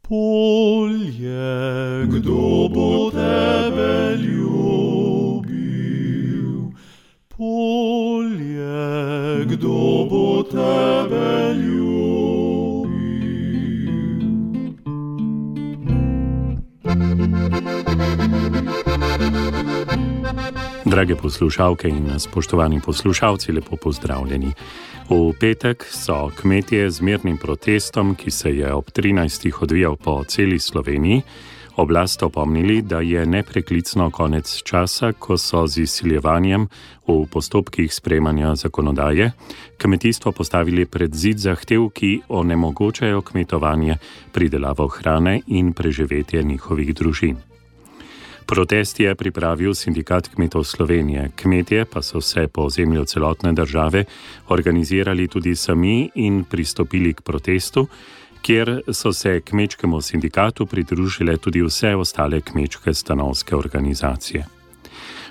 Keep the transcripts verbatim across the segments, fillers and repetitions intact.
Polje, kdo bo tebe ljubil? Polje, kdo bo tebe ljubil? Drage poslušalke in spoštovani poslušalci, lepo pozdravljeni. V petek so kmetje z mirnim protestom, ki se je ob trinajstih odvijal po celi Sloveniji, oblast opomnili, da je nepreklicno konec časa, ko so z izsiljevanjem v postopkih sprejemanja zakonodaje kmetijstvo postavili pred zid zahtev, ki onemogočajo kmetovanje, pridelavo hrane in preživetje njihovih družin. Protest je pripravil Sindikat kmetov Slovenije, kmetje pa so se po ozemlju celotne države organizirali tudi sami in pristopili k protestu, kjer so se kmečkemu sindikatu pridružile tudi vse ostale kmečke stanovske organizacije.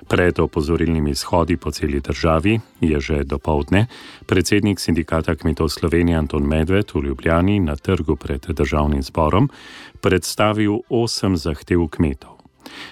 Pred opozorilnimi shodi po celi državi je že dopoldne predsednik Sindikata kmetov Slovenije Anton Medved v Ljubljani na trgu pred državnim zborom predstavil osem zahtev kmetov.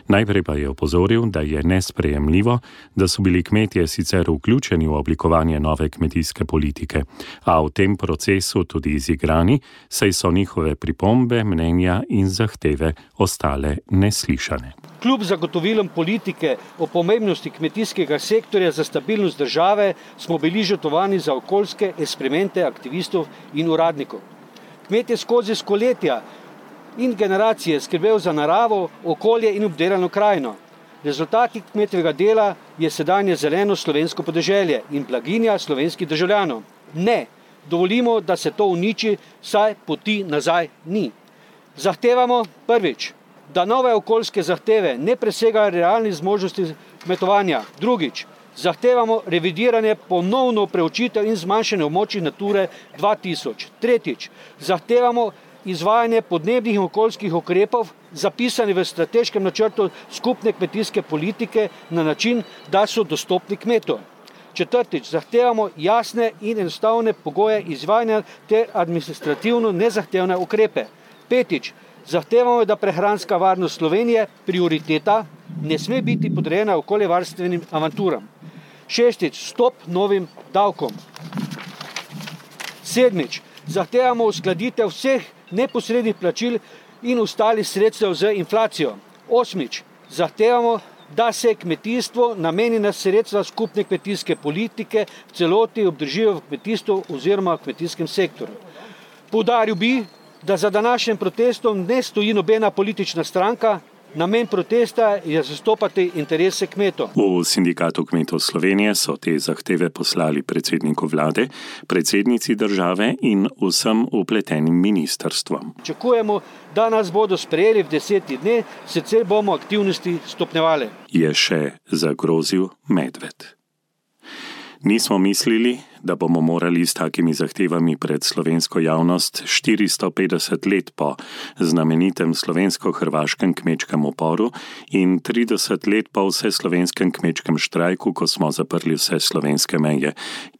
Najprej pa je opozoril, da je nesprejemljivo, da so bili kmetje sicer vključeni v oblikovanje nove kmetijske politike, a v tem procesu tudi izigrani, saj so njihove pripombe, mnenja in zahteve ostale neslišane. Kljub zagotovilom politike o pomembnosti kmetijskega sektorja za stabilnost države smo bili žrtvovani za okoljske eksperimente aktivistov in uradnikov. Kmetje skozi stoletja in generacije skrbel za naravo, okolje in obdelano krajino. Rezultati kmetovega dela je sedanje zeleno slovensko podeželje in blaginja slovenskih državljanov. Ne, dovolimo, da se to uniči, saj poti nazaj ni. Zahtevamo prvič, da nove okoljske zahteve ne presegajo realnih zmožnosti kmetovanja. Drugič, zahtevamo revidiranje, ponovno preučitev in zmanjšanje območij Nature dva tisoč. Tretjič, zahtevamo izvajanje podnebnih in okoljskih ukrepov, zapisani v strateškem načrtu skupne kmetijske politike na način, da so dostopni kmetom. Četrtič, zahtevamo jasne in enostavne pogoje izvajanja ter administrativno nezahtevne ukrepe. Petič, zahtevamo, da prehranska varnost Slovenije, prioriteta, ne sme biti podrejena okoljevarstvenim avanturam. Šestič, stop novim davkom. Sedmič, zahtevamo uskladitev vseh neposrednih plačil in ostalih sredstev z inflacijo. Osmič, zahtevamo, da se kmetijstvo namenjena sredstva skupne kmetijske politike v celoti obdržijo v kmetijstvu oziroma v kmetijskem sektorju. Poudaril bi, da za današnjim protestom ne stoji nobena politična stranka, namen protesta je zastopati interese kmetov. V Sindikatu kmetov Slovenije so te zahteve poslali predsedniku vlade, predsednici države in vsem vpletenim ministrstvom. Čakujemo, da nas bodo sprejeli v desetih dneh, sicer bomo aktivnosti stopnjevali. Je še zagrozil Medved. Nismo mislili, da bomo morali s takimi zahtevami pred slovensko javnost štiristo petdeset let po znamenitem slovensko-hrvaškem kmečkem uporu in trideset let po vseslovenskem kmečkem štrajku, ko smo zaprli vse slovenske meje,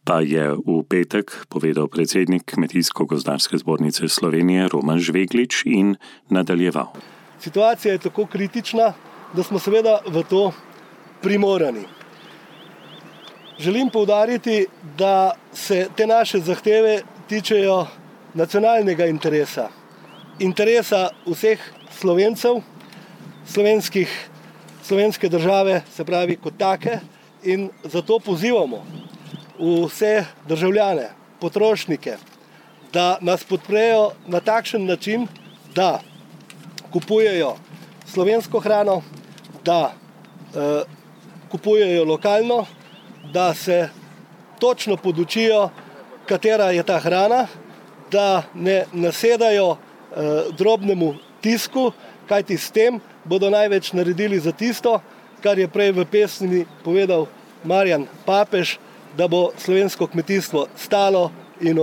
pa je v petek povedal predsednik Kmetijsko-gozdarske zbornice Slovenije Roman Žveglič in nadaljeval. Situacija je tako kritična, da smo seveda v to primorani. Želim poudariti, da se te naše zahteve tičejo nacionalnega interesa, interesa vseh Slovencev, slovenskih, slovenske države, se pravi kot take, in zato pozivamo vse državljane, potrošnike, da nas podprejo na takšen način, da kupujejo slovensko hrano, da eh, kupujejo lokalno, da se točno podučijo, katera je ta hrana, da ne nasedajo eh, drobnemu tisku, kajti s tem bodo največ naredili za tisto, kar je prej v pesmi povedal Marjan Papež, da bo slovensko kmetijstvo stalo in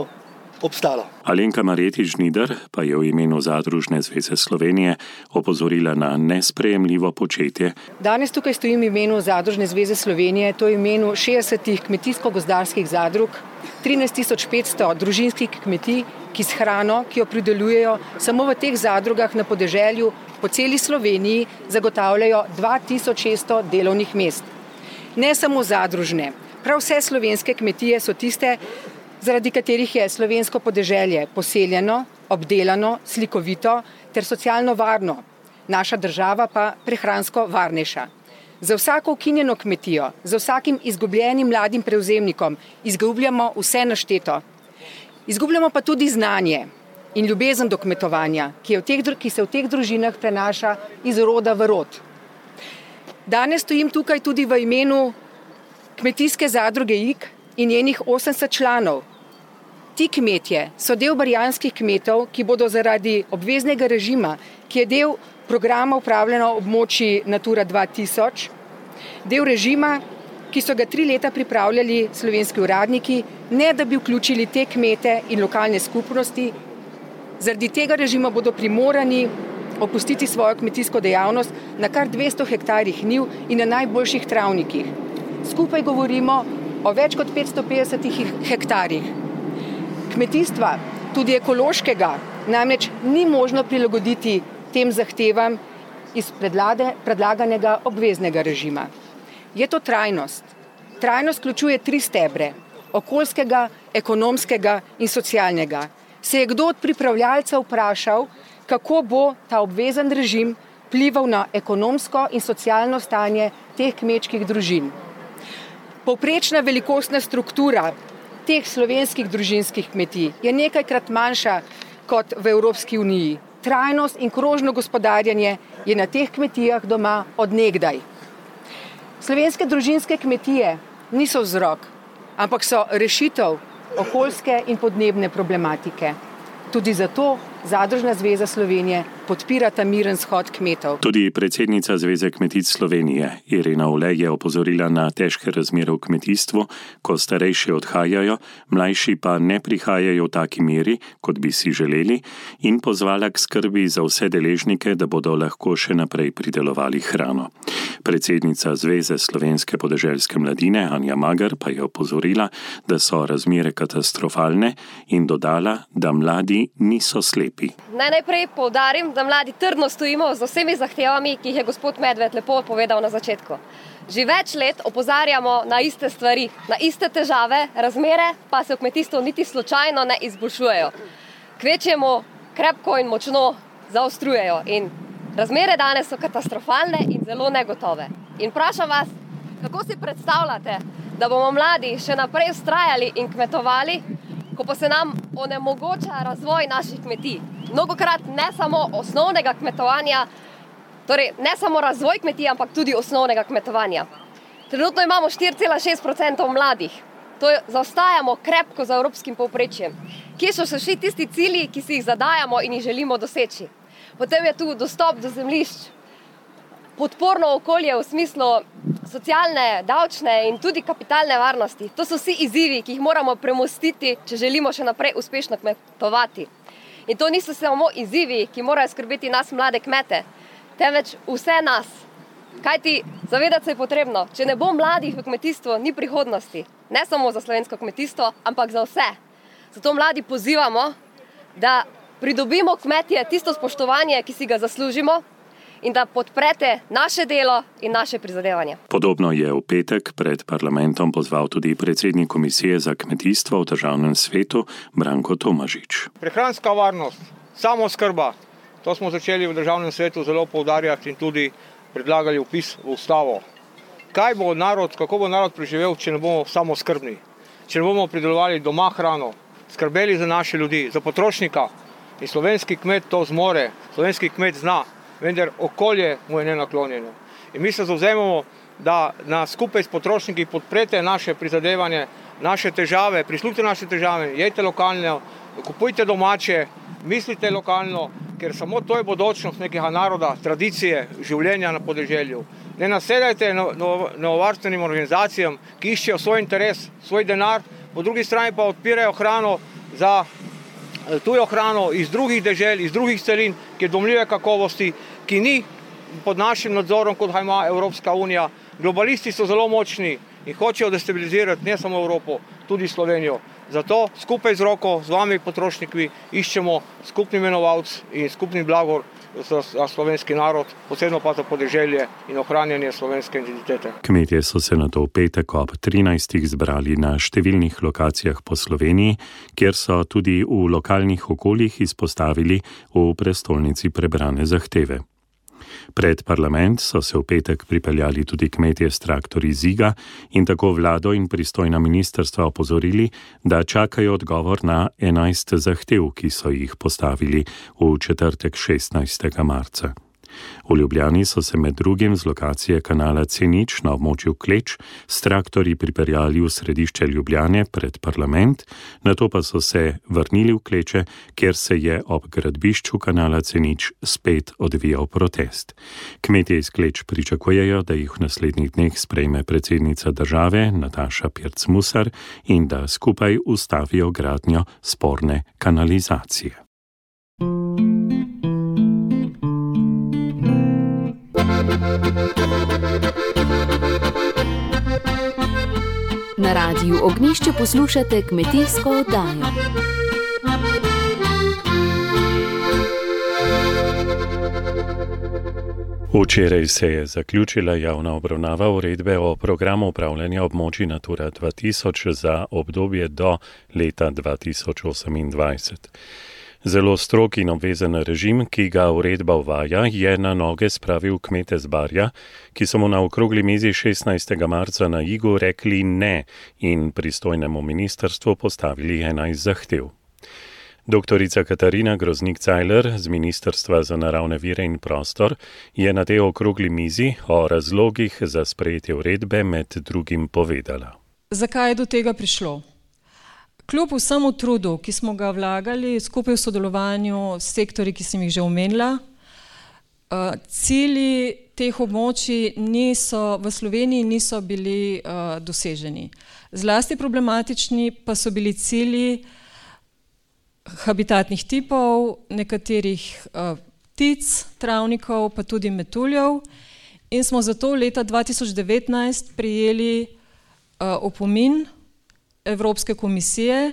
obstalo. Alenka Marjetič-Žnidar pa je v imenu Zadružne zveze Slovenije opozorila na nesprejemljivo početje. Danes tukaj stojim v imenu Zadružne zveze Slovenije, to je v imenu šestdesetih kmetijsko-gozdarskih zadrug, trinajst tisoč petsto družinskih kmetij, ki s hrano, ki jo pridelujejo, samo v teh zadrugah na podeželju po celi Sloveniji zagotavljajo dva tisoč šeststo delovnih mest. Ne samo zadružne, prav vse slovenske kmetije so tiste, zaradi katerih je slovensko podeželje poseljeno, obdelano, slikovito ter socialno varno, naša država pa prehransko varnejša. Za vsako ukinjeno kmetijo, za vsakim izgubljenim mladim prevzemnikom izgubljamo vse našteto. Izgubljamo pa tudi znanje in ljubezen do kmetovanja, ki, je v teh, ki se v teh družinah prenaša iz roda v rod. Danes stojim tukaj tudi v imenu kmetijske zadruge Ig in njenih osemdeset članov. Ti kmetje so del barjanskih kmetov, ki bodo zaradi obveznega režima, ki je del programa upravljanja območij Natura dva tisoč, del režima, ki so ga tri leta pripravljali slovenski uradniki, ne da bi vključili te kmete in lokalne skupnosti. Zaradi tega režima bodo primorani opustiti svojo kmetijsko dejavnost na kar dvesto hektarjih njiv in na najboljših travnikih. Skupaj govorimo o več kot petsto petdesetih hektarjih. Kmetijstva, tudi ekološkega, namreč ni možno prilagoditi tem zahtevam iz predlade, predlaganega obveznega režima. Je to trajnost. Trajnost vključuje tri stebre, okoljskega, ekonomskega in socialnega. Se je kdo od pripravljalcev vprašal, kako bo ta obvezen režim vplival na ekonomsko in socialno stanje teh kmečkih družin? Povprečna velikostna struktura teh slovenskih družinskih kmetij je nekajkrat manjša kot v Evropski uniji. Trajnost in krožno gospodarjenje je na teh kmetijah doma od nekdaj. Slovenske družinske kmetije niso vzrok, ampak so rešitev okoljske in podnebne problematike. Tudi zato Zadružna zveza Slovenije podpira ta miren shod kmetov. Tudi predsednica Zveze kmetic Slovenije Irena Ule je opozorila na težke razmere v kmetijstvu, ko starejši odhajajo, mlajši pa ne prihajajo v taki meri, kot bi si želeli, in pozvala k skrbi za vse deležnike, da bodo lahko še naprej pridelovali hrano. Predsednica Zveze slovenske podeželske mladine Anja Magar pa je opozorila, da so razmere katastrofalne in dodala, da mladi niso slepi. Naj najprej poudarim, da mladi trdno stojimo z vsemi zahtevami, ki jih je gospod Medved lepo povedal na začetku. Že več let opozarjamo na iste stvari, na iste težave, razmere pa se v kmetijstvu niti slučajno ne izboljšujejo. Kvečjemu krepko in močno zaostrujejo in razmere danes so katastrofalne in zelo negotove. In vprašam vas, kako si predstavljate, da bomo mladi še naprej vztrajali in kmetovali, ko pa se nam onemogoča razvoj naših kmetij. Mnogokrat ne samo osnovnega kmetovanja, torej ne samo razvoj kmetij, ampak tudi osnovnega kmetovanja. Trenutno imamo štiri cela šest procenta mladih. To zaostajamo krepko za evropskim povprečjem. Kje so še tisti cilji, ki si jih zadajamo in jih želimo doseči? Potem je tu dostop do zemljišč, podporno okolje v smislu socialne, davčne in tudi kapitalne varnosti. To so vsi izzivi, ki jih moramo premostiti, če želimo še naprej uspešno kmetovati. In to niso samo izzivi, ki morajo skrbeti nas mlade kmete, temveč vse nas. Kajti zavedati se je potrebno, če ne bo mladih v kmetijstvu, ni prihodnosti. Ne samo za slovensko kmetijstvo, ampak za vse. Zato mladi pozivamo, da pridobimo kmetje tisto spoštovanje, ki si ga zaslužimo, in da podprete naše delo in naše prizadevanje. Podobno je v petek pred parlamentom pozval tudi predsednik Komisije za kmetijstvo v Državnem svetu Branko Tomažič. Prehranska varnost, samooskrba, to smo začeli v Državnem svetu zelo poudarjati in tudi predlagali vpis v ustavo. Kaj bo narod, kako bo narod preživel, če ne bomo samooskrbni, če ne bomo pridelovali doma hrano, skrbeli za naše ljudi, za potrošnika. In slovenski kmet to zmore, slovenski kmet zna, vendar okolje mu je nenaklonjeno. In mi se zavzemamo, da nas skupaj s potrošniki podprete naše prizadevanje, naše težave, prisluhnite naše težave, jejte lokalno, kupujte domače, mislite lokalno, ker samo to je bodočnost nekega naroda, tradicije, življenja na podeželju. Ne nasedajte novovarstvenim organizacijam, ki iščejo svoj interes, svoj denar, po drugi strani pa odpirajo hrano za tujo hrano iz drugih dežel, iz drugih celin, ki je domljive kakovosti, ki ni pod našim nadzorom, kot ga ima Evropska unija. Globalisti so zelo močni in hočejo destabilizirati ne samo Evropo, tudi Slovenijo. Zato skupaj z roko, z vami potrošniki, iščemo skupni imenovalec in skupni blagor za slovenski narod, posebno pa za podeželje in ohranjanje slovenske identitete. Kmetje so se nato v petek ob trinajstih zbrali na številnih lokacijah po Sloveniji, kjer so tudi v lokalnih okoljih izpostavili v prestolnici prebrane zahteve. Pred parlament so se v petek pripeljali tudi kmetje s traktorji Ziga in tako vlado in pristojna ministrstva opozorili, da čakajo odgovor na enajst zahtev, ki so jih postavili v četrtek šestnajstega marca. V Ljubljani so se med drugim z lokacije kanala C nič na območju Kleč s traktorji pripeljali v središče Ljubljane pred parlament, nato pa so se vrnili v Kleče, kjer se je ob gradbišču kanala C nič spet odvijal protest. Kmetje iz Kleč pričakujejo, da jih v naslednjih dneh sprejme predsednica države Nataša Pirc Musar in da skupaj ustavijo gradnjo sporne kanalizacije. Na Radiu Ognjišče poslušate kmetijsko oddajo. Včeraj se je zaključila javna obravnava uredbe o programu upravljanja območij Natura dva tisoč za obdobje do leta dva tisoč osemindvajset. Zelo strog in obvezen režim, ki ga uredba uvaja, je na noge spravil kmete z Barja, ki so mu na okrogli mizi šestnajstega marca na Igu rekli ne in pristojnemu ministrstvu postavili enajst zahtev. Doktorica Katarina Groznik-Cajler z Ministrstva za naravne vire in prostor je na tej okrogli mizi o razlogih za sprejetje uredbe med drugim povedala. Zakaj je do tega prišlo? Kljub vsemu trudu, ki smo ga vlagali skupaj v sodelovanju s sektorji, ki sem jih že omenila, cilji teh območij niso, v Sloveniji niso bili uh, doseženi. Zlasti problematični pa so bili cilji habitatnih tipov, nekaterih uh, ptic, travnikov, pa tudi metuljev in smo zato leta dva tisoč devetnajst prijeli uh, opomin Evropske komisije,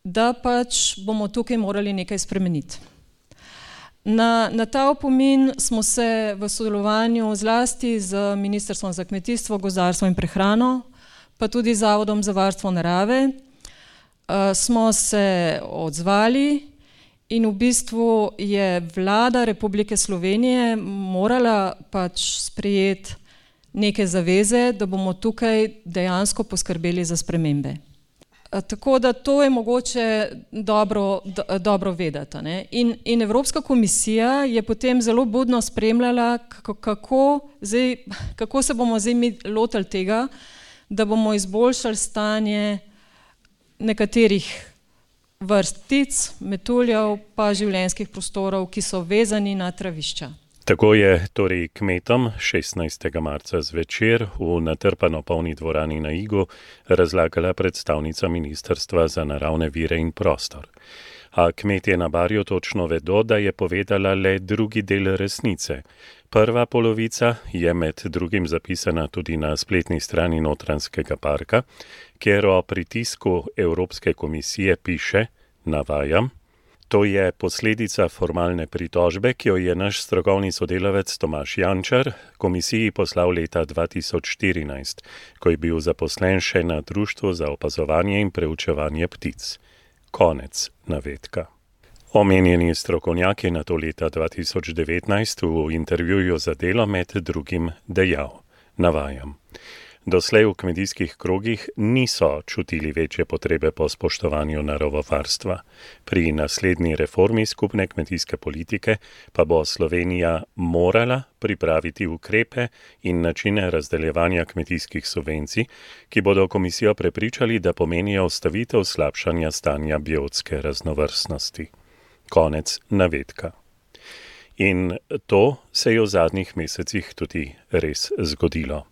da pač bomo tukaj morali nekaj spremeniti. Na, na ta opomin smo se v sodelovanju zlasti z Ministrstvom za kmetijstvo, gozdarstvo in prehrano, pa tudi Zavodom za varstvo narave, uh, smo se odzvali in v bistvu je vlada Republike Slovenije morala pač sprejeti neke zaveze, da bomo tukaj dejansko poskrbeli za spremembe. Tako da to je mogoče dobro, do, dobro vedeti. Ne? In, in Evropska komisija je potem zelo budno spremljala, kako, kako, zdaj, kako se bomo zdaj mi lotili tega, da bomo izboljšali stanje nekaterih vrst ptic, metuljev, pa življenjskih prostorov, ki so vezani na travišča. Tako je torej kmetom šestnajstega marca zvečer v natrpano polni dvorani na Igu razlagala predstavnica Ministrstva za naravne vire in prostor. A kmetje na Barju točno vedo, da je povedala le drugi del resnice. Prva polovica je med drugim zapisana tudi na spletni strani Notranjskega parka, kjer o pritisku Evropske komisije piše, navajam, to je posledica formalne pritožbe, ki jo je naš strokovni sodelavec Tomaž Jančar komisiji poslal leta dva tisoč štirinajst, ko je bil zaposlen še na Društvu za opazovanje in preučevanje ptic. Konec navedka. Omenjeni strokovnjak je nato leta dva tisoč devetnajst v intervjuju za Delo med drugim dejal, navajam, doslej v kmetijskih krogih niso čutili večje potrebe po spoštovanju naravovarstva. Pri naslednji reformi skupne kmetijske politike pa bo Slovenija morala pripraviti ukrepe in načine razdeljevanja kmetijskih subvencij, ki bodo komisijo prepričali, da pomenijo ustavitev slabšanja stanja biotske raznovrstnosti. Konec navedka. In to se je v zadnjih mesecih tudi res zgodilo.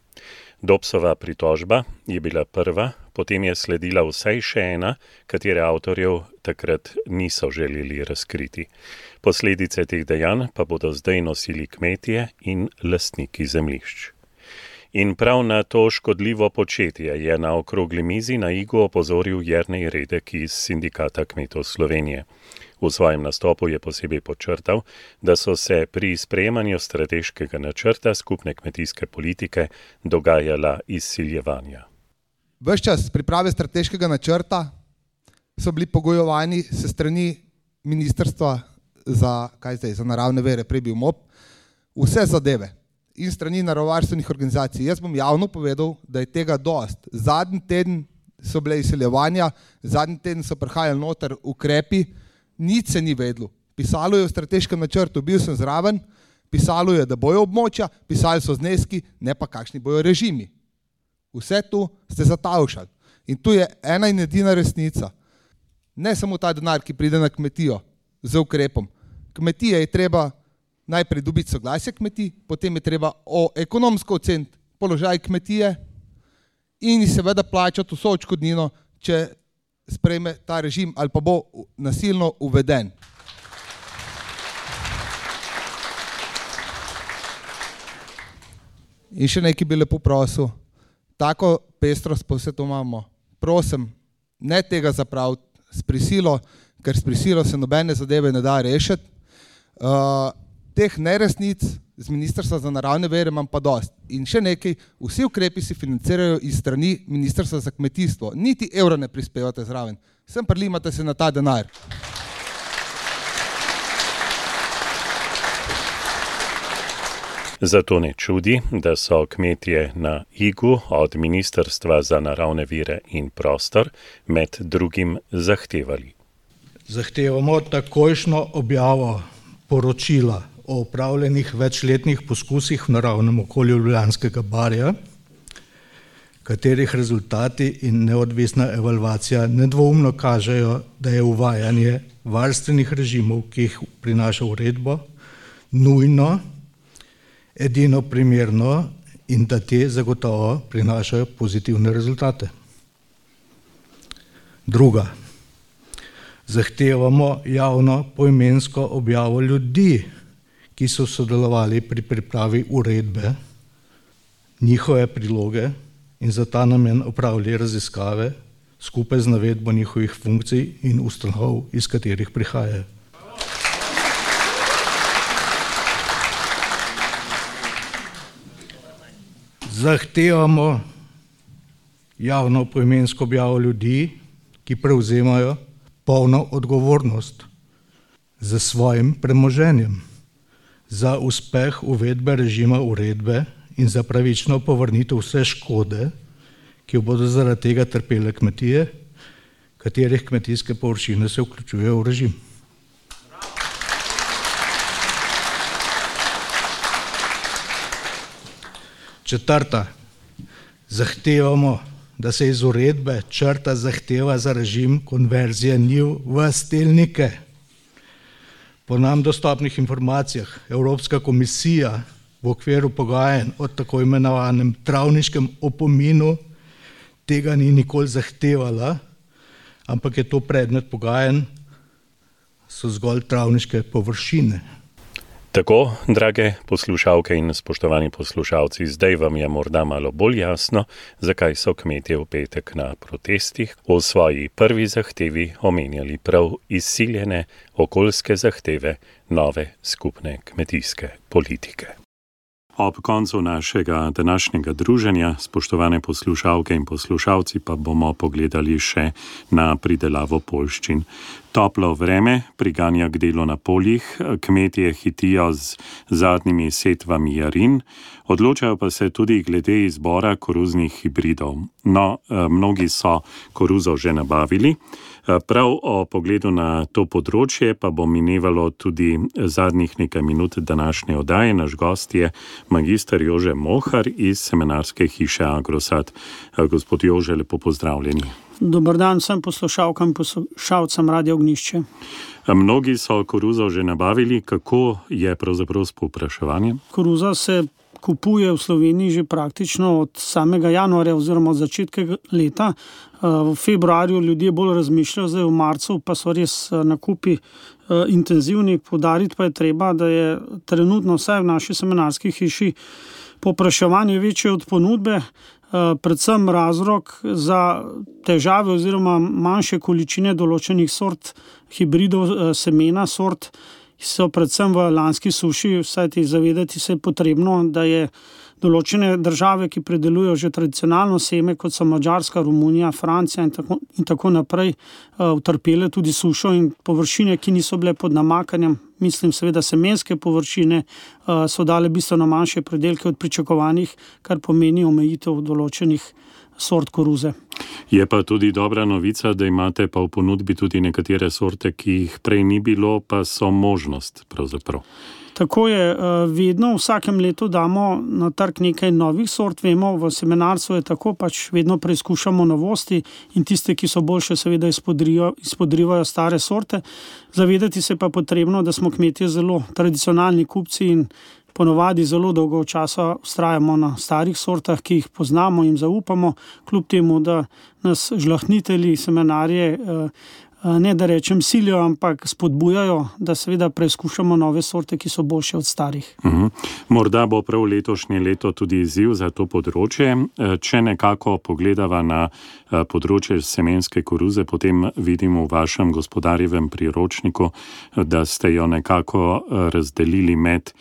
Dobsova pritožba je bila prva, potem je sledila vsaj še ena, katere avtorjev takrat niso želeli razkriti. Posledice teh dejanj pa bodo zdaj nosili kmetje in lastniki zemljišč. In prav na to škodljivo početje je na okrogli mizi na Igu opozoril Jernej Redek iz Sindikata kmetov Slovenije. V svojem nastopu je posebej podčrtal, da so se pri sprejemanju strateškega načrta skupne kmetijske politike dogajala izsiljevanja. Ves čas priprave strateškega načrta so bili pogojevani se strani Ministrstva za, kaj zdaj, za naravne vere, prej bil M O P, vse zadeve in strani naravovarstvenih organizacij. Jaz bom javno povedal, da je tega dost. Zadnji teden so bile izsiljevanja, zadnji teden so prihajali noter ukrepi, nič se ni vedlo. Pisalo je v strateškem načrtu, bil sem zraven, pisalo je, da bojo območja, pisali so zneski, ne pa kakšni bojo režimi. Vse tu ste zatavšali. In tu je ena in edina resnica. Ne samo ta denar, ki pride na kmetijo z ukrepom. Kmetije je treba najprej dobiti soglasje kmetij, potem je treba o ekonomsko oceniti položaj kmetije in seveda plačati vso odškodnino, če sprejme ta režim ali pa bo nasilno uveden. In še nekaj bi lepo prosil, tako pestrost pa vse to imamo. Prosim, ne tega zapraviti s prisilo, ker s prisilo se nobene zadeve ne da rešiti. Uh, teh neresnic z Ministrstva za naravne vere imam pa dost. In še nekaj, vsi ukrepi se financirajo iz strani Ministrstva za kmetijstvo. Niti evro ne prispevate zraven. Sem prilimate se na ta denar. Zato ne čudi, da so kmetje na Igu od Ministrstva za naravne vire in prostor med drugim zahtevali. Zahtevamo takojšnjo objavo poročila o opravljenih večletnih poskusih v naravnem okolju Ljubljanskega barja, katerih rezultati in neodvisna evalvacija nedvoumno kažejo, da je uvajanje varstvenih režimov, ki jih prinaša uredba, nujno, edino primerno in da te zagotovo prinašajo pozitivne rezultate. Druga. Zahtevamo javno poimensko objavo ljudi, ki so sodelovali pri pripravi uredbe, njihove priloge in za ta namen opravili raziskave skupaj z navedbo njihovih funkcij in ustanov, iz katerih prihajajo. Zahtevamo javno poimensko objavo ljudi, ki prevzemajo polno odgovornost za svojim premoženjem, za uspeh uvedbe režima uredbe in za pravično povrnitev vse škode, ki jo bodo zaradi tega trpele kmetije, katerih kmetijske površine se vključujejo v režim. Četrta. Zahtevamo, da se iz uredbe črta zahteva za režim konverzije njiv v stelnike. Po nam dostopnih informacijah Evropska komisija v okviru pogajanj o tako imenovanem travniškem opominu tega ni nikoli zahtevala, ampak je to predmet pogajanj, so zgolj travniške površine. Tako, drage poslušalke in spoštovani poslušalci, zdaj vam je morda malo bolj jasno, zakaj so kmetje v petek na protestih v svoji prvi zahtevi omenjali prav izsiljene okoljske zahteve nove skupne kmetijske politike. Ob koncu našega današnjega druženja, spoštovane poslušalke in poslušalci, pa bomo pogledali še na pridelavo poljščin. Toplo vreme priganja k delu na poljih, kmetje hitijo z zadnjimi setvami jarin, odločajo pa se tudi glede izbora koruznih hibridov. No, mnogi so koruzo že nabavili. Prav o pogledu na to področje pa bo minevalo tudi zadnjih nekaj minut današnje oddaje. Naš gost je magister Jože Mohar iz semenarske hiše Agrosad. Gospod Jože, lepo pozdravljeni. Dobar dan vsem poslušalkam in poslušalcem Radio Ognjišče. Mnogi so koruzo že nabavili. Kako je pravzaprav s povpraševanjem? Koruza se kupuje v Sloveniji že praktično od samega januarja oziroma od začetka leta. V februarju ljudje bolj razmišljajo, zdaj v marcu pa so res nakupi intenzivni. Poudariti pa je treba, da je trenutno vsaj v naši semenarski hiši povpraševanje večje od ponudbe, predvsem razlog za težave oziroma manjše količine določenih sort hibridov semena, sort so predvsem v lanski suši, vsaj ti zavedati se je potrebno, da je določene države, ki predelujejo že tradicionalno seme, kot so Madžarska, Romunija, Francija in tako, in tako naprej, utrpele tudi sušo in površine, ki niso bile pod namakanjem, mislim seveda semenske površine, so dale bistveno manjše predelke od pričakovanih, kar pomeni omejitev določenih sort koruze. Je pa tudi dobra novica, da imate pa v ponudbi tudi nekatere sorte, ki jih prej ni bilo, pa so možnost pravzaprav. Tako je, vedno v vsakem letu damo na trg nekaj novih sort, vemo, v semenarstvu je tako, pač vedno preizkušamo novosti in tiste, ki so boljše, seveda izpodrivajo stare sorte. Zavedati se pa potrebno, da smo kmetje zelo tradicionalni kupci in ponovadi zelo dolgo časa vztrajamo na starih sortah, ki jih poznamo in zaupamo, kljub temu, da nas žlahtnitelji, semenarje, ne da rečem silijo, ampak spodbujajo, da seveda preizkušamo nove sorte, ki so boljše od starih. Uhum. Morda bo prav letošnje leto tudi izziv za to področje. Če nekako pogledava na področje semenske koruze, potem vidimo v vašem gospodarjevem priročniku, da ste jo nekako razdelili med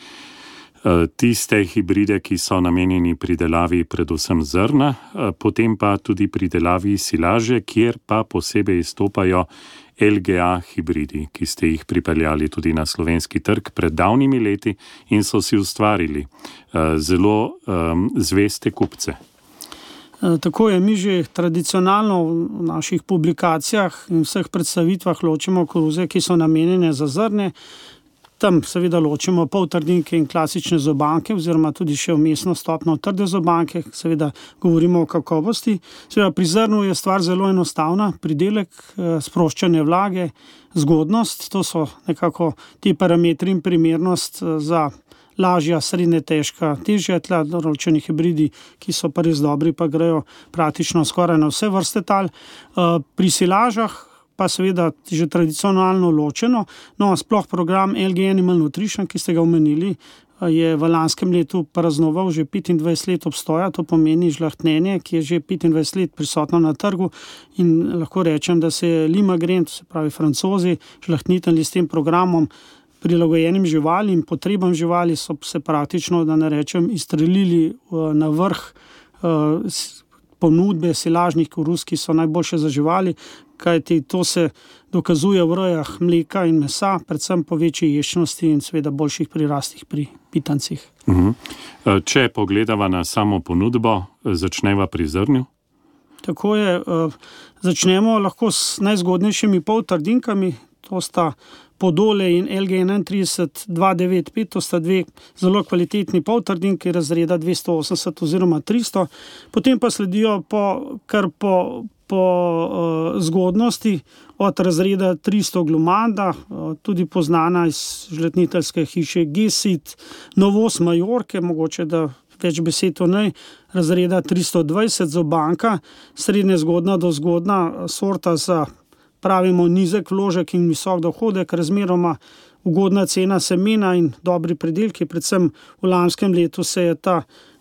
tiste hibride, ki so namenjeni pridelavi predvsem zrna, potem pa tudi pridelavi silaže, kjer pa posebej izstopajo L G A hibridi, ki ste jih pripeljali tudi na slovenski trg pred davnimi leti in so si ustvarili zelo um, zveste kupce. Tako je, mi že tradicionalno v naših publikacijah in vseh predstavitvah ločimo koruze, ki so namenjene za zrne. Tam seveda ločimo poltrdinke in klasične zobanke oziroma tudi še vmesno stopno trde zobanke, seveda govorimo o kakovosti. Seveda pri zrnu je stvar zelo enostavna, pridelek, sproščanje vlage, zgodnost, to so nekako ti parametri in primernost za lažja, srednje težka, težja tla, določeni hibridi, ki so pa res dobri, pa grejo praktično skoraj na vse vrste tal. Pri silažah pa seveda že tradicionalno ločeno. No, sploh program L G Animal Nutrition, ki ste ga omenili, je v lanskem letu praznoval že petindvajset let obstoja, to pomeni žlahtnenje, ki je že petindvajset let prisotno na trgu in lahko rečem, da se je Limagren, to se pravi Francozi, žlahtnitelji s tem programom prilagojenim živalim, potrebam živali so se praktično, da ne rečem, izstrelili na vrh ponudbe silažnih koruz, ki so najboljše za živali, kajti to se dokazuje v rejah mleka in mesa, predvsem po večji ješčnosti in seveda boljših prirastih pri pitancih. Uhum. Če pogledava na samo ponudbo, začneva pri zrnju? Tako je, začnemo lahko s najzgodnejšimi poltrdinkami, to sta Podole in L G enaintrideset dva devet pet, to sta dve zelo kvalitetni poltrdinki razreda dvesto osemdeset oziroma tristo, potem pa sledijo po, kar po, po uh, zgodnosti od razreda tristo Glumanda, uh, tudi poznana iz žletniteljske hiše Gesit, novost Majorke, mogoče da več besed o njej, razreda tristo dvajset Zobanka, srednje zgodna do zgodna sorta za pravimo nizek vložek in visok dohodek, razmeroma ugodna cena semena in dobri predelki. Predvsem v lanskem letu se je ta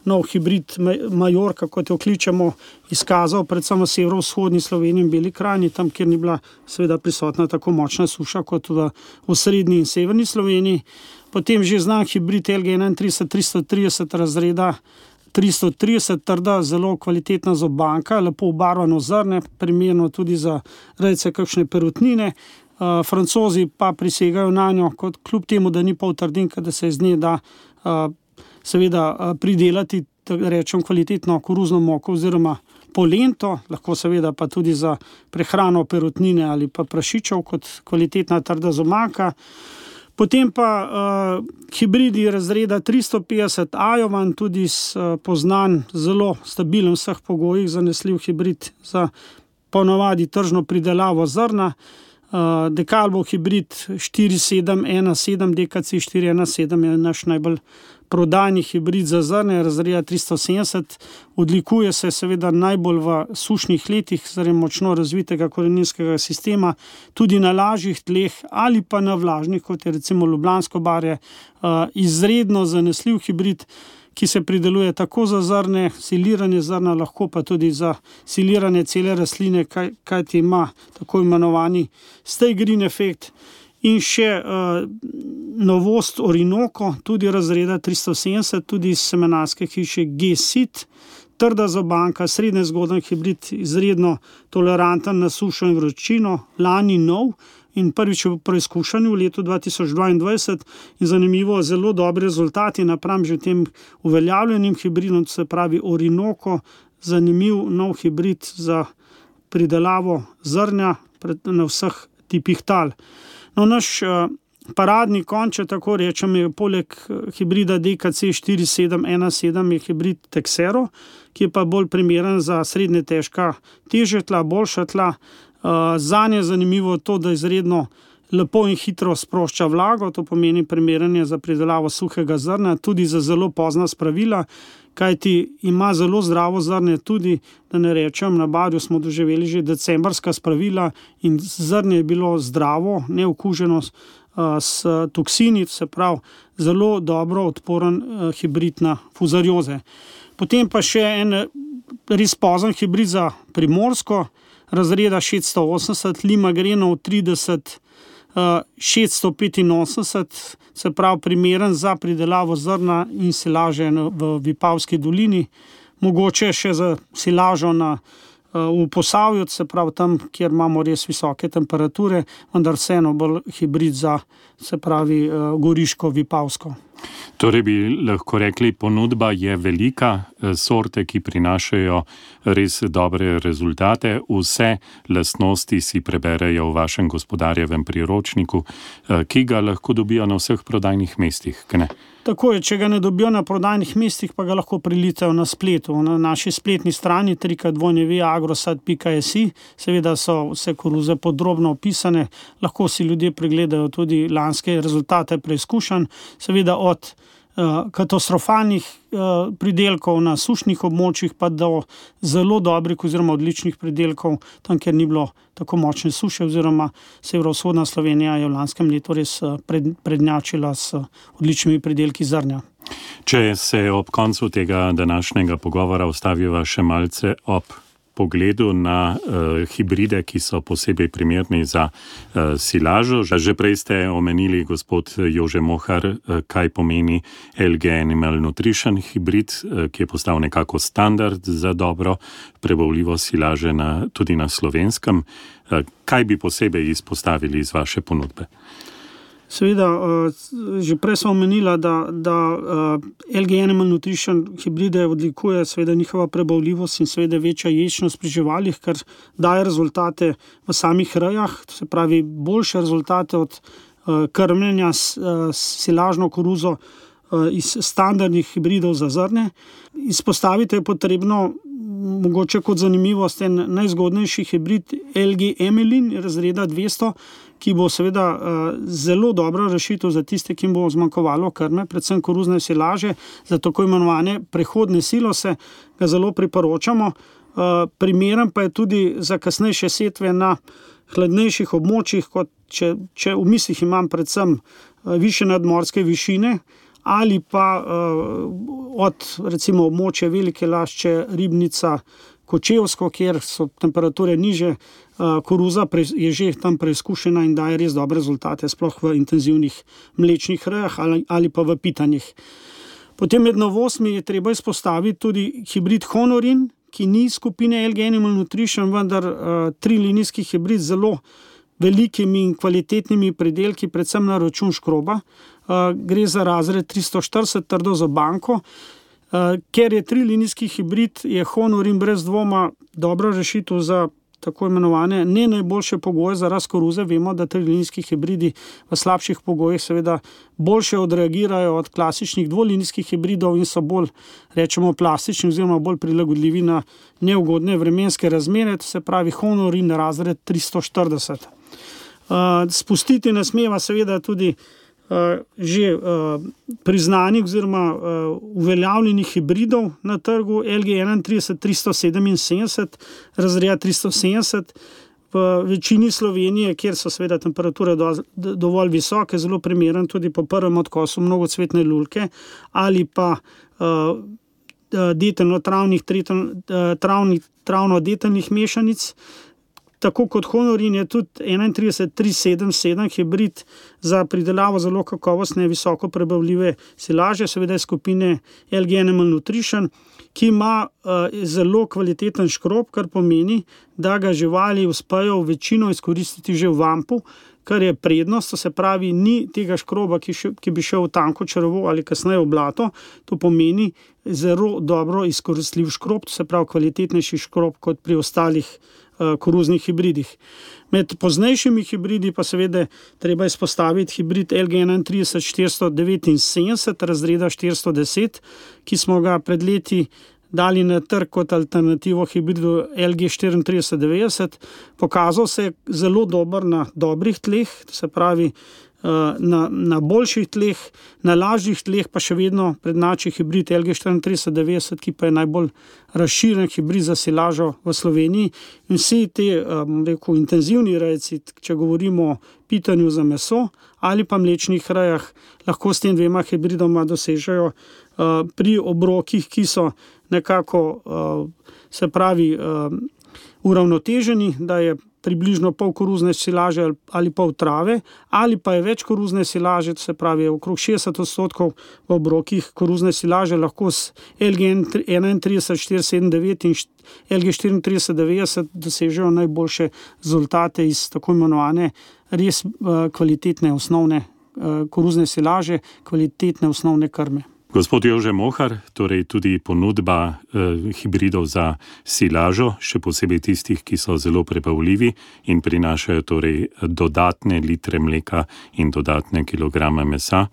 nov hibrid Majorka, kot jo kličemo, izkazal predvsem v severovzhodni Sloveniji in Beli krajini, tam, kjer ni bila seveda prisotna tako močna suša kot v, v srednji in severni Sloveniji. Potem že znan hibrid L G enaintrideset tristo trideset razreda tristo trideset, trda, zelo kvalitetna zobanka, lepo obarvano zrne, primerno tudi za rejce kakšne perutnine. Uh, Francozi pa prisegajo na njo, kot kljub temu, da ni poltrdinka, da se iz nje da uh, seveda uh, pridelati, da rečem, kvalitetno koruzno moko oziroma polento, lahko seveda pa tudi za prehrano perutnine ali pa prašičev kot kvalitetna trda zobanka. Potem pa uh, hibridi razreda tristo petdeset Ajovan, tudi uh, poznan, zelo stabilen v vseh pogojih, zanesljiv hibrid za ponovadi tržno pridelavo zrna. Uh, Dekalbo hibrid štiri sedem ena sedem, D K C štiri ena sedem je naš najbolj prodajni hibrid za zrne, razreda tristo sedemdeset. Odlikuje se seveda najbolj v sušnih letih, zaradi močno razvitega koreninskega sistema, tudi na lažjih tleh ali pa na vlažnih, kot je recimo Ljubljansko barje. Uh, izredno zanesljiv hibrid, ki se prideluje tako za zrne, siliranje zrna, lahko pa tudi za siliranje cele rastline, kaj, kaj ti ima tako imenovani stay green efekt. In še uh, novost Orinoco, tudi razreda tristo sedemdeset, tudi iz semenarske hiše G-Sit, trda zobanka, srednje zgoden hibrid, izredno toleranten na sušo in vročino, lani nov in prvič v preizkušanju v letu dva tisoč dvaindvajset in zanimivo, zelo dobri rezultati napram že tem uveljavljenim hibridom, se pravi Orinoco, zanimiv nov hibrid za pridelavo zrnja na vseh tipih tal. No, naš uh, paradni konj, če tako rečem, je poleg hibrida D K C štiri sedem ena sedem je hibrid Texero, ki je pa bolj primeren za srednje težka težja tla, boljša tla. Uh, Zanje je zanimivo to, da izredno lepo in hitro sprošča vlago, to pomeni primeranje za pridelavo suhega zrna, tudi za zelo pozna spravila, kajti ima zelo zdravo zrnje tudi, da ne rečem, na Barju smo doživeli že decembrska spravila in zrnje je bilo zdravo, neokuženo uh, s toksini, se pravi zelo dobro odporen uh, hibrid na fuzarioze. Potem pa še en res pozen hibrid za Primorsko, razreda šeststo osemdeset, Limagrenov trideset šeststo petinosemdeset, se pravi primeren za pridelavo zrna in silaže v Vipavski dolini, mogoče še za silažo na, v Posavju, se pravi tam, kjer imamo res visoke temperature, vendar vseeno bolj hibrid za, se pravi, Goriško, Vipavsko. Torej bi lahko rekli, ponudba je velika, sorte, ki prinašajo res dobre rezultate, vse lastnosti si preberejo v vašem gospodarjevem priročniku, ki ga lahko dobijo na vseh prodajnih mestih, ne? Tako je, če ga ne dobijo na prodajnih mestih, pa ga lahko prilitajo na spletu. Na naši spletni strani tri krat w w w pika agrosad pika s i seveda so vse koruze podrobno opisane, lahko si ljudje pregledajo tudi lanske rezultate preizkušanj, seveda od uh, katastrofalnih uh, pridelkov na sušnih območjih pa do zelo dobrih oziroma odličnih pridelkov, tam, kjer ni bilo tako močne suše, oziroma severovzhodna Slovenija je v lanskem letu res pred, prednjačila s odličnimi pridelki zrnja. Če se ob koncu tega današnjega pogovora ustaviva še malce ob pogledu na uh, hibride, ki so posebej primerni za uh, silažo. Že prej ste omenili, gospod Jože Mohar, uh, kaj pomeni L G Animal Nutrition hibrid, uh, ki je postal nekako standard za dobro prebavljivo silaže na, tudi na Slovenskem. Uh, kaj bi posebej izpostavili iz vaše ponudbe? Seveda, že prej sem omenila, da, da L G Animal Nutrition hibride odlikuje seveda njihova prebavljivost in seveda večja ječnost pri živalih, kar daje rezultate v samih rejah, to se pravi boljše rezultate od krmljenja s silažno koruzo iz standardnih hibridov za zrne. Izpostaviti je potrebno mogoče kot zanimivost en najzgodnejši hibrid L G Emelin razreda dvesto, ki bo seveda uh, zelo dobra rešitev za tiste, ki jim bo zmanjkovalo krme, predvsem koruzne silaže, za tako imenovane prehodne silose, ga zelo priporočamo. Uh, primeren pa je tudi za kasnejše setve na hladnejših območjih, kot če, če v mislih imam predvsem uh, više nadmorske višine, ali pa uh, od recimo območja Velike Lašče, Ribnica, Kočevsko, kjer so temperature niže, uh, koruza pre, je že tam preizkušena in daje res dobre rezultate, sploh v intenzivnih mlečnih rejah ali, ali pa v pitanjih. Potem med novostmi je treba izpostaviti tudi hibrid Honorin, ki ni skupine L G Animal Nutrition, vendar uh, trilinijski hibrid z zelo velikimi in kvalitetnimi pridelki, predvsem na račun škroba. Uh, gre za razred tristo štirideset trdo zobanko. Uh, ker je trilinijski hibrid, je Honorin brez dvoma dobra rešitev za tako imenovane ne najboljše pogoje za rast koruze. Vemo, da trilinijski hibridi v slabših pogojih seveda boljše odreagirajo od klasičnih dvolinijskih hibridov in so bolj, rečemo, plastični oziroma bolj prilagodljivi na neugodne vremenske razmere, to se pravi Honorin razred tristo štirideset. Spustiti ne smeva seveda tudi že priznanih oziroma uveljavljenih hibridov na trgu L G enaintrideset tristo sedeminsedemdeset, razreda tristo sedemdeset. V večini Slovenije, kjer so seveda temperature dovolj visoke, zelo primeren tudi po prvem odkosu mnogocvetne lulke ali pa detelno-travnih, travno-detelnih mešanic. Tako kot Honorin je tudi enaintrideset tristo sedemdeset sedem hibrid za pridelavo zelo kakovostne, visoko prebavljive silaže, seveda iz skupine L G Animal Nutrition, ki ima uh, zelo kvaliteten škrob, kar pomeni, da ga živali uspejo večino izkoristiti že v vampu, kar je prednost, to se pravi, ni tega škroba, ki, še, ki bi šel v tanko črevo ali kasneje v blato, to pomeni zelo dobro izkoristljiv škrob, to se pravi kvalitetnejši škrob kot pri ostalih koruznih hibridih. Med poznejšimi hibridi pa seveda treba izpostaviti hibrid L G enaintrideset štiristo devetinsedemdeset, razreda štiristo deset, ki smo ga pred leti dali na trg kot alternativo hibridu L G štiriintrideset devetdeset. Pokazal se je zelo dober na dobrih tleh, to se pravi na, na boljših tleh, na lažjih tleh pa še vedno prednjači hibrid L G štiriintrideset devetdeset, ki pa je najbolj razširjen hibrid za silažo v Sloveniji. In vsi te, bom rekel, intenzivni rejci, če govorimo o pitanju za meso ali pa mlečnih rejah, lahko s tem dvema hibridoma dosežejo pri obrokih, ki so nekako, se pravi, uravnoteženi, da je približno pol koruzne silaže ali pol trave, ali pa je več koruzne silaže, to se pravi okrog šestdeset odstotkov v obrokih koruzne silaže, lahko s L G enaintrideset štiristo sedemdeset devet in L G štiriintrideset devetdeset dosežejo najboljše rezultate iz tako imenovane res kvalitetne osnovne koruzne silaže, kvalitetne osnovne krme. Gospod Jože Mohar, torej tudi ponudba eh, hibridov za silažo, še posebej tistih, ki so zelo prebavljivi in prinašajo torej dodatne litre mleka in dodatne kilograme mesa,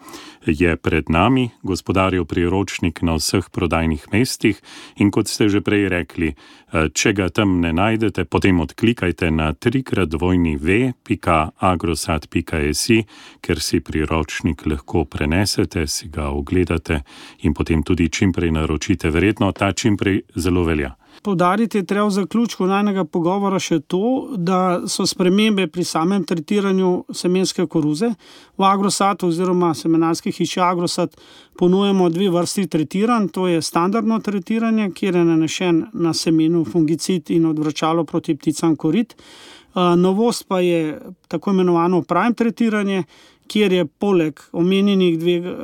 je pred nami. Gospodarjev priročnik na vseh prodajnih mestih in kot ste že prej rekli, eh, če ga tam ne najdete, potem odklikajte na trikrat dvojni v pika agrosat pika si, ker si priročnik lahko prenesete, si ga ogledate in potem tudi čimprej naročite. Verjetno ta čimprej zelo velja. Poudariti je treba v zaključku najnega pogovora še to, da so spremembe pri samem tretiranju semenske koruze. V Agrosatu oziroma semenarski hiši Agrosat ponujemo dve vrsti tretiranj, to je standardno tretiranje, kjer je nanešen na semenu fungicid in odvračalo proti pticam korit. Novost pa je tako imenovano prime tretiranje, kjer je poleg omenjenih dveh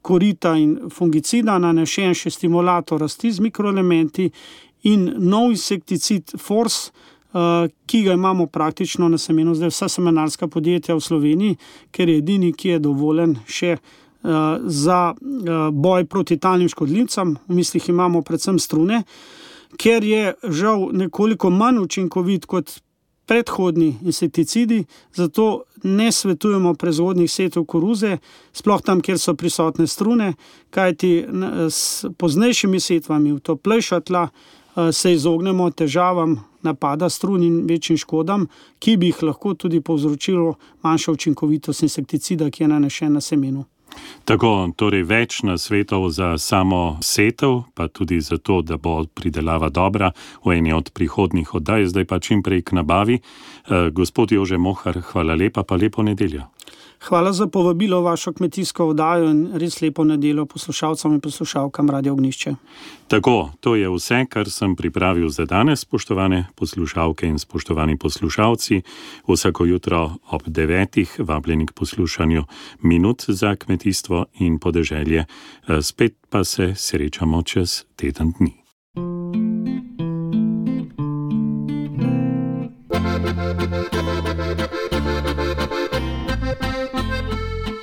korita in fungicida nanešen še stimulator rasti z mikroelementi in nov insekticid Force, ki ga imamo praktično na semenu zdaj vsa semenarska podjetja v Sloveniji, ker je edini, ki je dovoljen še za boj proti talnim škodljivcem. V mislih imamo predvsem strune, ker je žal nekoliko manj učinkovit kot predhodni insekticidi, zato ne svetujemo proizvodnih setov koruze, sploh tam, kjer so prisotne strune, kajti s poznejšimi setvami v toplejša tla se izognemo težavam napada strun in večjim škodam, ki bi jih lahko tudi povzročilo manjša učinkovitost insekticida, ki je nanešen na semenu. Tako, torej več nasvetov za samo setev, pa tudi za to, da bo pridelava dobra v eni od prihodnjih oddaj, zdaj pa čim prej k nabavi. E, gospod Jože Mohar, hvala lepa, pa lepo nedeljo. Hvala za povabilo v vašo kmetijsko oddajo in res lepo nedeljo poslušalcem in poslušalkam Radio Ognjišče. Tako, to je vse, kar sem pripravil za danes, spoštovane poslušalke in spoštovani poslušalci. Vsako jutro ob devetih vabljeni k poslušanju Minut za kmetijstvo in podeželje. Spet pa se srečamo čez teden dni.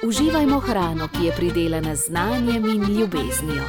Uživajmo hrano, ki je pridelana z znanjem in ljubeznijo.